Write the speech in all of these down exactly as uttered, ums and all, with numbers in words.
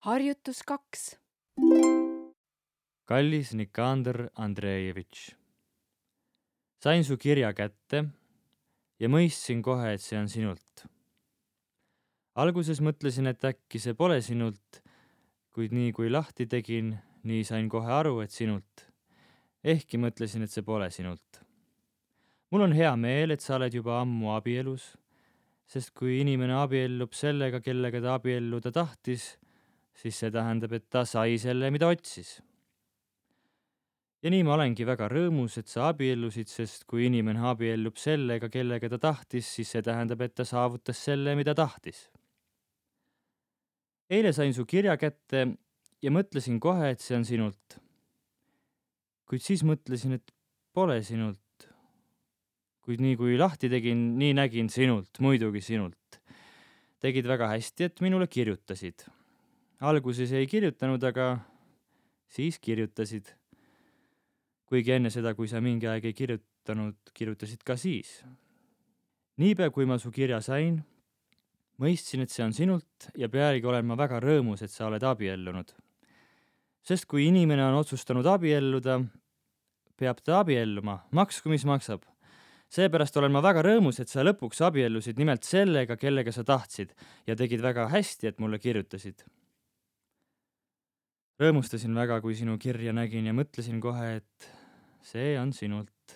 Harjutus kaks. Kallis Nikander Andreevitš, sain su kirja kätte ja mõistsin kohe, et see on sinult. Alguses mõtlesin, et äkki see pole sinult, kuid nii kui lahti tegin, nii sain kohe aru, et sinult. Ehkki mõtlesin, et see pole sinult. Mul on hea meel, et sa oled juba ammu abielus, sest kui inimene abiellub sellega, kellega ta abielluda tahtis, siis see tähendab, et ta sai selle, mida otsis. Ja nii ma olengi väga rõõmus, et sa abiellusid, sest kui inimene abiellub sellega, kellega ta tahtis, siis see tähendab, et ta saavutas selle, mida tahtis. Eile sain su kirja kätte ja mõtlesin kohe, et see on sinult. Kuid siis mõtlesin, et pole sinult. Kuid nii kui lahti tegin, nii nägin sinult, muidugi sinult. Tegid väga hästi, et minule kirjutasid. Alguses ei kirjutanud, aga siis kirjutasid. Kuigi enne seda, kui sa mingi aeg ei kirjutanud, kirjutasid ka siis. Niipea, kui ma su kirja sain, mõistsin, et see on sinult ja pealegi olen ma väga rõõmus, et sa oled abiellunud. Sest kui inimene on otsustanud abielluda, peab ta abielluma, maksku mis maksab. Seepärast olen ma väga rõõmus, et sa lõpuks abiellusid nimelt sellega, kellega sa tahtsid ja tegid väga hästi, et mulle kirjutasid. Rõõmustasin väga, kui sinu kirja nägin ja mõtlesin kohe, et see on sinult.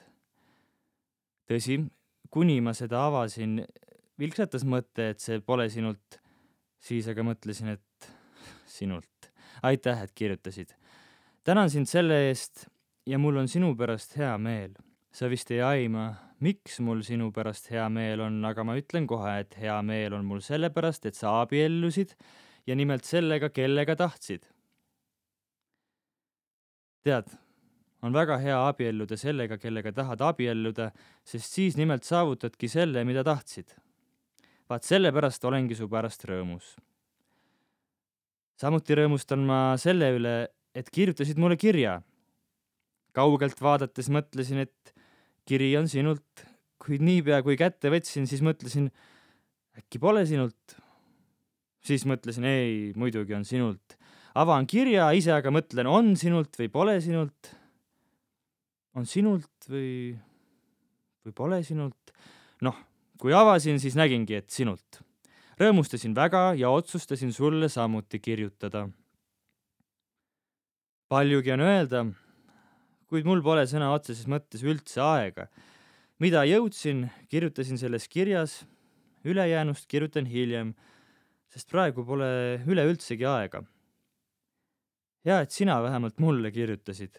Tõsi, kuni ma seda avasin, vilksatas mõte, et see pole sinult, siis aga mõtlesin, et sinult. Aitäh, et kirjutasid. Tänan sind selle eest ja mul on sinu pärast hea meel. Sa vist ei aima, miks mul sinu pärast hea meel on, aga ma ütlen kohe, et hea meel on mul selle pärast, et sa abiellusid ja nimelt sellega, kellega tahtsid. Tead, on väga hea abielluda sellega, kellega tahad abielluda, sest siis nimelt saavutadki selle, mida tahtsid. Vaat selle pärast olengi su pärast rõõmus. Samuti rõõmustan ma selle üle, et kirjutasid mulle kirja. Kaugelt vaadates mõtlesin, et kiri on sinult, kuid niipea kui kätte võtsin, siis mõtlesin, äkki pole sinult. Siis mõtlesin, ei, muidugi on sinult. Avaan kirja, ise aga mõtlen, on sinult või pole sinult. On sinult või, või pole sinult. Noh, kui avasin, siis nägingi, et sinult. Rõõmustasin väga ja otsustasin sulle samuti kirjutada. Paljugi on öelda, kuid mul pole sõna otseses mõttes üldse aega. Mida jõudsin, kirjutasin selles kirjas, ülejäänust kirjutan hiljem, sest praegu pole üleüldsegi aega. Hea, et sina vähemalt mulle kirjutasid.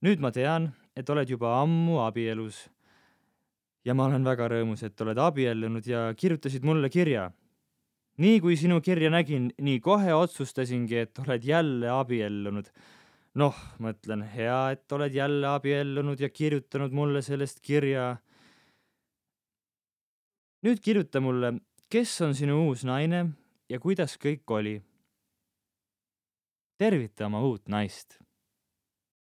Nüüd ma tean, et oled juba ammu abielus ja ma olen väga rõõmus, et oled abiellunud ja kirjutasid mulle kirja. Nii kui sinu kirja nägin, nii kohe otsustasingi, et oled jälle abiellunud. Noh, mõtlen, hea, et oled jälle abiellunud ja kirjutanud mulle sellest kirja. Nüüd kirjuta mulle, kes on sinu uus naine ja kuidas kõik oli. Tervita oma uut naist.